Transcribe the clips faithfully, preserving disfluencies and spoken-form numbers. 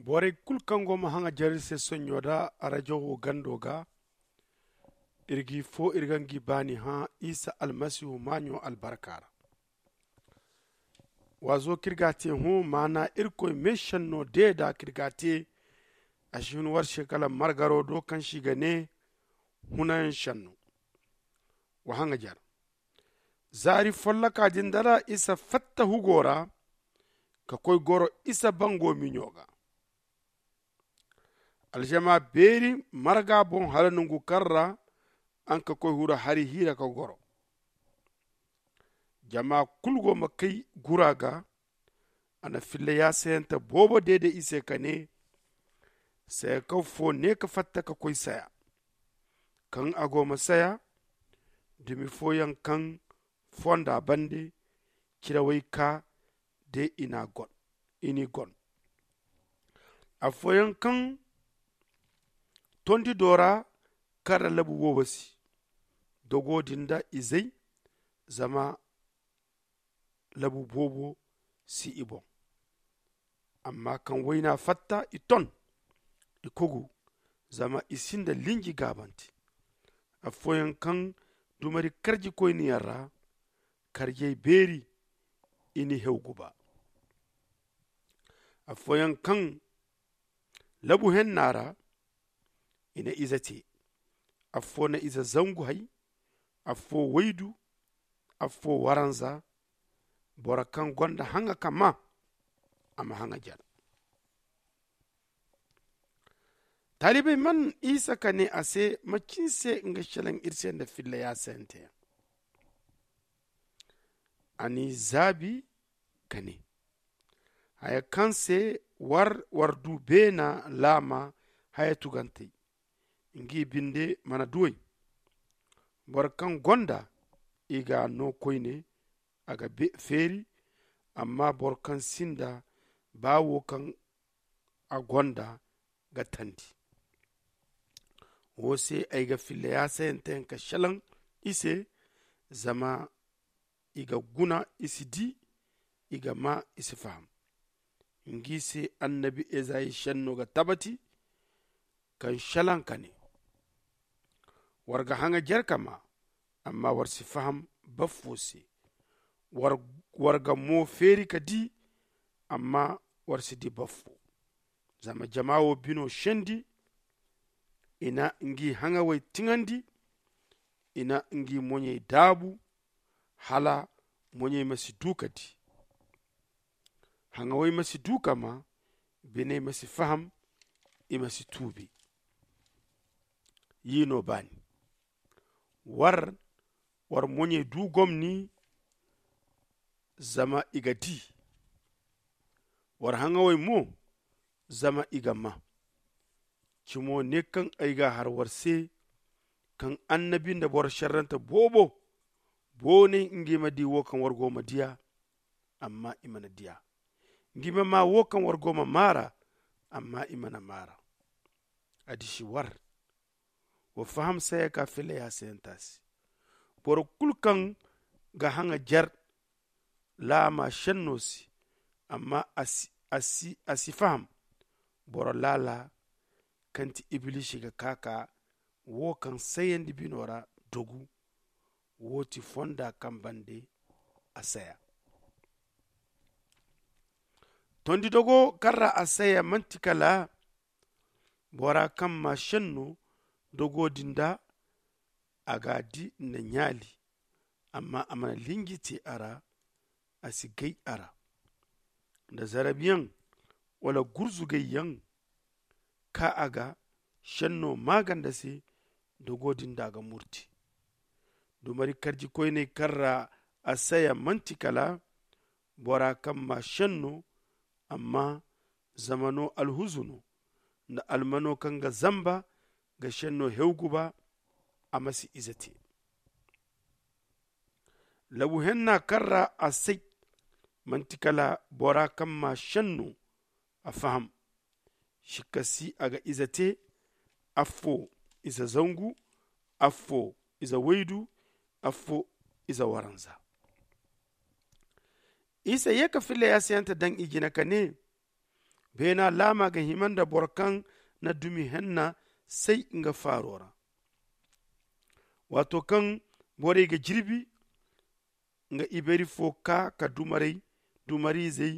Borey kulu kaŋ go ma haŋajer iri se sonɲo da arajawo gando ga, iri g'i fo iri ga ngi baani hã isa almasihu maaɲo albarka ra. Waazo kaŋ iri ga a te hõ maana irkoy meesenno deeda kaŋ iri ga a te. A si hun war se kala margaro do kaŋ se i ga ne hunayaŋ senno. Wa haŋajer zaari folloka din da ra isa fatta hugo ra ka koy goro isa bango miɲo ga. Aljama beeri marga boŋ hala nongu kaŋ ra a na ka koy huru hari hiira ka goro. Jama kulu go ma kay gura ga. A na filla yaasayante boobo deede i se ka ne, saya kaw fo ne ka fatta ka koy saya. Kaŋ a go ma saya dumi fooyaŋ kaŋ fonda bande cirawey ka de i n'i gon. Afooyaŋ kaŋ tondi do ra kaŋ ra labu woobo si dogo din da izey, zama labu boobo si i boŋ. Amma kaŋ wayna fatta i ton i kugu, zama i sinda linji gaabante. Afooyaŋ kaŋ dumari karjikoyne yaŋ ra karjey beeri i n'i hew guba. Afooyaŋ kaŋ labu henna ra i na ize te. Affo na ize zangu hay, affo waydu, affo waranza. Boro kaŋ gonda haŋa ka maa a ma haŋajer. Taalibey man isa ka ne a se, macin se nga selaŋ iri se nda filla yaasayanteyaŋ? A n'i zaabi ka ne, haya kaŋ se war war du beena laama haya tugantey, ngi binde mana duw'ey. Boro kaŋ gonda i ga a no koyne a ga feeri. Amma boro kaŋ sinda ba wo kaŋ a gonda ga tandi. Wo se ay ga filla yaasayanteyaŋ ka selaŋ i se, zama i ga guna i si di, i ga maa i si faham. Ngi se annabi ezayi senno ga tabati kaŋ selaŋ ka ne, war ga haŋajer ka maa, amma war si faham baffo se. War ga mo feeri ka di, amma war si di baffo. Zama jama wo bino sendi, i na ngi haŋawey tiŋandi, i na ngi moɲey daabu, hala moɲey ma si du ka di, haŋawey ma si du ka maa, biney ma si faham, i ma si tuubi. Yi no baani. War war moɲey du gomni, zama i ga di. War haŋawey mo, zama i ga maa. Cimo ne kaŋ ay ga a har war se, kaŋ annabi nda boro serrante boobo boonay ngi ma di wo kaŋ war go ma diya, amma i mana diya. Ngi ma maa wo kaŋ war go ma maara, amma i mana maara. A disi war. Wa faham saya ka filla yaasayanta se. Boro kulu kaŋ ga haŋa jer laama senno se, amma a si faham, boro laala kaŋ ti ibilisi ga ka ka wo kaŋ sayandi bino ra dogu. Wo ti fonda kaŋ bande a saya. Tondi dogo kaŋ ra a saya manti kala bora kaŋ ma senno dogo din da a ga a di nda ɲaali, amma a mana linji te a ra. A si gay a ra nda zarabiyaŋ wala gurzugayyaŋ ka a ga senno maaganda se. Dogo din da a ga murti dumari karjikoyney kaŋ ra a saya manti kala bora kaŋ ma senno, amma zamano alhuzu no nda almano kaŋ ga zamba ga senno hewgu ba a ma si ize te. Labu henna kaŋ ra a say manti kala bora kaŋ ma senno a faham. Sikka si a ga ize te, affo ize zangu, affo ize waydu, affo ize waranza. Isa ye ka filla yaasayante daŋ i jine ka ne, Beena laama ga hima nda boro kaŋ na dumi henna say nga faaro ra. Waato kaŋ borey ga jirbi, nga iberi fo ka ka dumaray dumariizey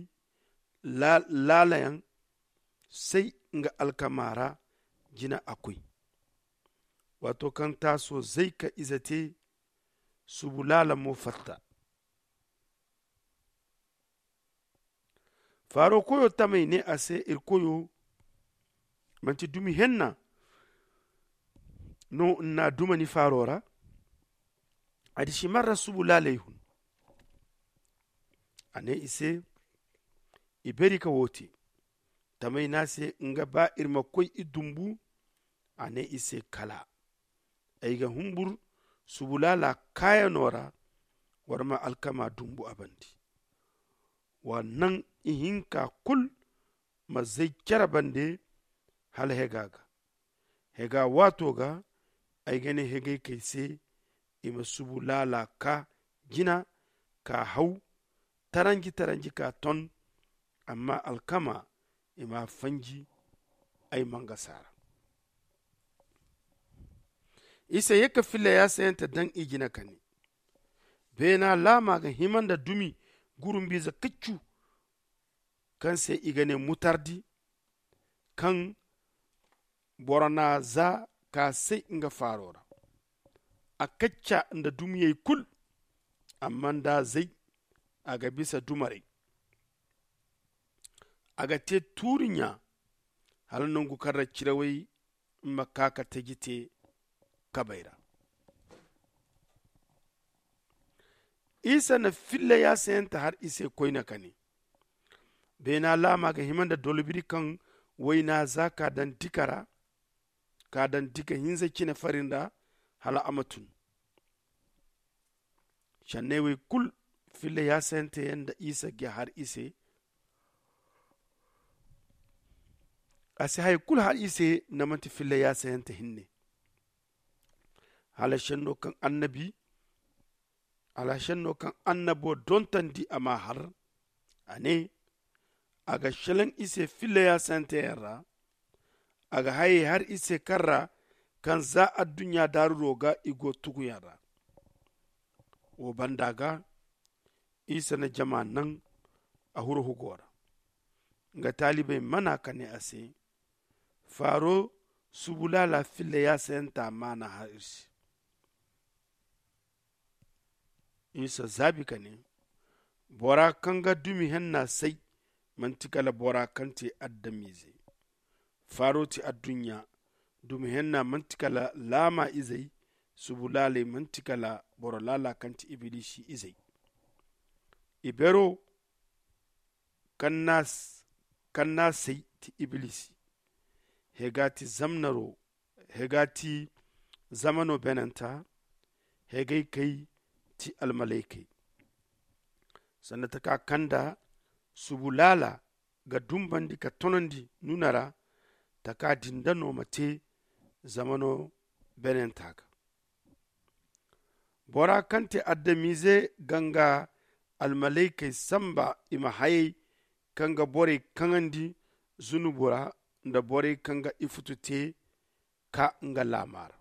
laalayaŋ say nga alkama ra. Jina a koy waato kaŋ taaso zay ka ize te. Subu laala mo fatta. Faaro koyo tamey ne a se, iri koyo, manti dumi henna no n'na duma ni faaro ra? A disi marra subu laaley hun. A ne i se, i beri ka wo te. Tamey ne a se nga ba iri ma koy i dumbu. A ne i se, kala ay ga humbur subu laala kaayano ra. War ma alkama dumbu a bande. Wa naŋ ihinka kulu ma zay cere bande hala hega ga. Hega waato ga ay ga ne hegaykey se, i ma subu laala ka jina, ka haw taranji taranji ka ton. Amma alkama i m'a fanji ay mangasa ra. Isa ye ka filla yaasayante daŋ i jina ka ne, beena laama ga hima nda dumi gurumbiize kaccu, kaŋ se i ga ne mutardi, kaŋ boro n'a za ka say nga faaro ra. A kacca nda dumiyey kulu, amma nda zay a ga bisa dumaray. A ga te tuuri ɲa hala nangu kaŋ ra cirawey ma ka ka taji te kabay ra. Isa na filla yaasayante har i se koyne ka ne, beena laama ga hima nda dolbiri kaŋ wayna za ka daŋ dika ra, ka daŋ dika hinza cine farin ra hala a ma tun. Canney wey kulu filla yaasayante yaŋ nda isa ga har i se. A si hari kulu har i se nda manti filla yaasayante hinne. Hala senno kaŋ annabi hala senno kaŋ annabo dontandi a m'a har, a ne, a ga selaŋ i se filla yaasante yaŋ ra. A ga hayey har i se kaŋ ra kaŋ za adduɲɲa daariro ga i go tuguyaŋ ra. Wo banda ga isa na jama naŋ a huru hugo ra. Nga taalibey mana ka ne a se, faaro subu laala filla yaasayanta maana har iri se. Isa zaabi ka ne, bora kaŋ ga dumi henna say manti kala bora kaŋ te adamize. Faaro ti adduɲɲa. Dumi henna manti kala laama izey. Subu laaley manti kala boro laala kaŋ ti ibilisi izey. Ibero kaŋ n'a say ti ibilisi. Hega ti zamnaro. Hega ti zamano benanta. Hegay kay ti almalaykey. Sanda taka kaŋ nda subu laala ga dumbandi ka tonandi nuna ra. Taka din da no ma te zamano benanta ga. Bora kaŋ te adamize ga nga almalaykey samba i ma hayey kaŋ ga borey kaŋandi zunubu ra nda borey kaŋ ga ifutu te ka nga laama ra.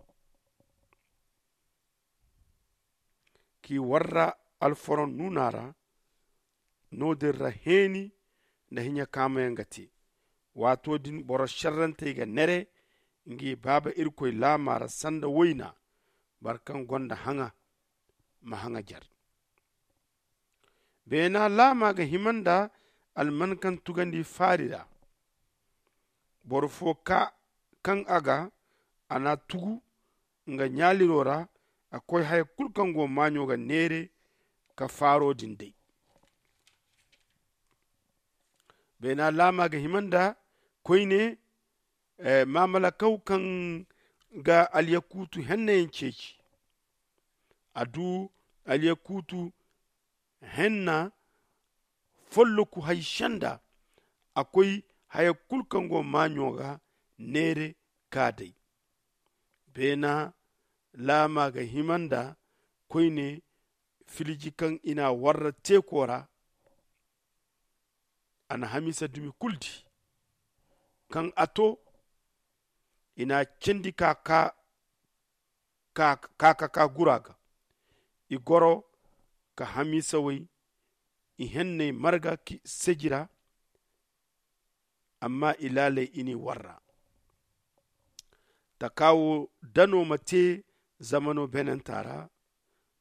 K'i warra alforoŋ nuuna ra. No-din ra heeni nda hiɲa kaamayaŋ ga te. Waato din boro šerrantey ga neere ngi baaba irkoy laama ra sanda wayna. Boro kaŋ gonda haŋa ma haŋa jer. Beena laama ga hima nda alman kaŋ tugandi faari ra. Boro fo ka kaŋ a ga a n'a tugu nga ɲaaliro ra. A koy haya kulu kaŋ go maaɲo ga neere ka faaro din day. Beena laama ga hima nda koyne maamalakaw kaŋ ga alyakuutu hennayaŋ ceeci. A du alyakuutu henna folloku hay senda. A koy haya kulu kaŋ go maaɲo ga neere ka day. Beena laama ga hima nda koyne filiji kaŋ i n'a warra teeko ra. A na hamiisa dumi kulu di. Kaŋ a to, i n'a candi ka ka ka ka ka gura ga. I goro ka hamiisawey i henney marga ki seji ra. Amma i laaley i n'i warra. Taka wo dano ma te zamano beenanta ra.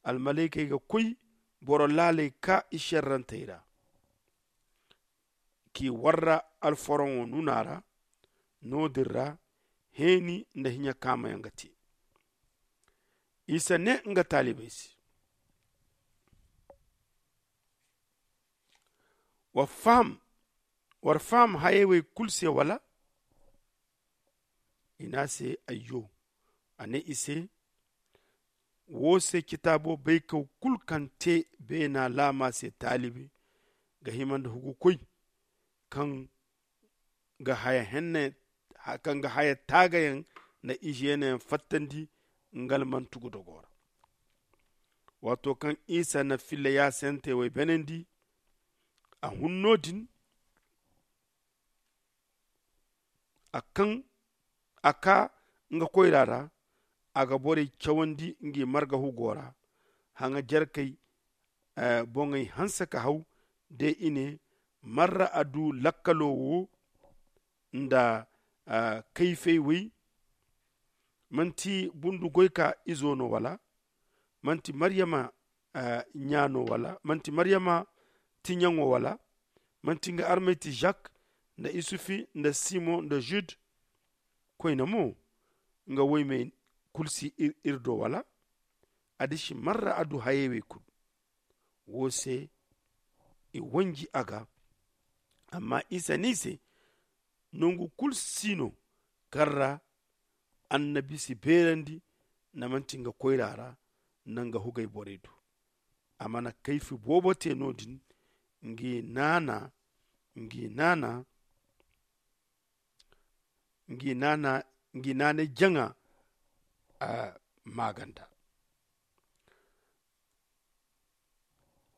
Almalaykey ga koy boro laaley ka i šerrantey ra k'i warra alforoŋo nuna ra. No-din ra heeni nda hiɲa kaamayaŋ ga te. Isa ne nga taalibey se, war faham hayey wey kulu se wala? I ne a se, ayyo. A ne i se, wo se citaabo baykaw kulu kaŋ te beena laama se taalibi ga hima nda hugukoy kaŋ ga haya henne kaŋ ga haya taagayaŋ nda ize yeenayaŋ fattandi. Nga almantu ga dogo ra. Waato kaŋ isa na filla yaasante wey beenandi, a hun no-din a kaŋ a ka nga koyra ra. A ga borey cawandi ngi marga hugo ra. Haŋa jerkey boŋey hanse ka haw de i ne, marra a du lakkalo wo nda kayfey wey? Manti bundu goyka izo no wala? Manti maryama ɲa no wala? Manti maryama tiɲaŋo wala? Manti nga armey ti zak nda isufi nda simon nda zud? Koyne mo nga woymey kulu si iri do wala? A disi marra a du hayey wey kulu. Wo se i wanji a ga. Amma isa ne i se, nangu kulu si no kaŋ ra annabi si beerandi nda manti nga koyra ra nda nga hugay borey do. A mana kayfi boobo te no-din. Ngi naana ngi naana ngi naana ngi naanay jaŋa maaganda.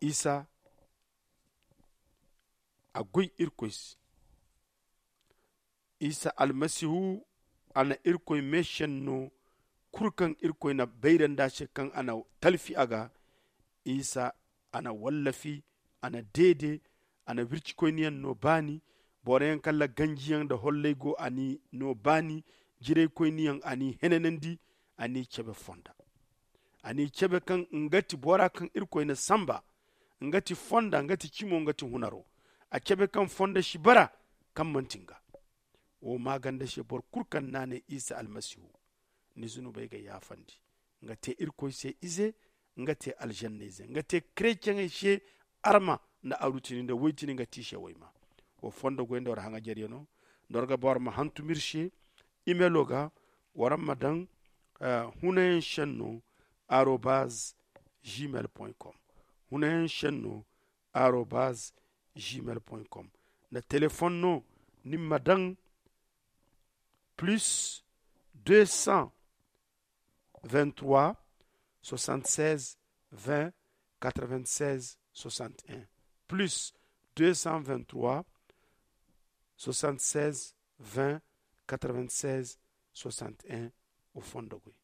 Isa a goy irkoy se. Isa almasihu a na irkoy meesenno kulu kaŋ irkoy na bayrandi a se kaŋ a na talfi a ga. Isa a na wallafi, a na deede, a na wircikoyniyaŋ no baani. Boro yaŋ kaŋ ra ganjiyaŋ nda hollay go a n'i no baani. Jiraykoyniyaŋ a n'i henanandi, a n'i cabe fonda. A n'i cabe kaŋ nga ti bora kaŋ irkoy na samba. Nga ti fonda, nga ti cimo, nga ti hunaro. A cabe kaŋ fonda si bara kaŋ manti nga. Wo maaganda se boro kulu kaŋ naanay isa almasihu, ni zunubey ga yaafandi. Nga te irkoy se ize, nga te alžanna ize, nga te kretiyeŋey se arma nda arutini nda woytini nga te i se woyma. Wo fondo goy nda war haŋajeryaŋo nda war ga ba war ma hantum iri se. Imelo ga war ma daŋ hunayaŋ senno arobaz gmail com. Hunayaŋ senno arobaz gmail com. Nda telefon no ni ma daŋ plus deux cent vingt trois soixante seize vingt quatre vingt seize soixante un, plus deux cent vingt trois soixante seize vingt quatre vingt seize soixante un. O fondo goy.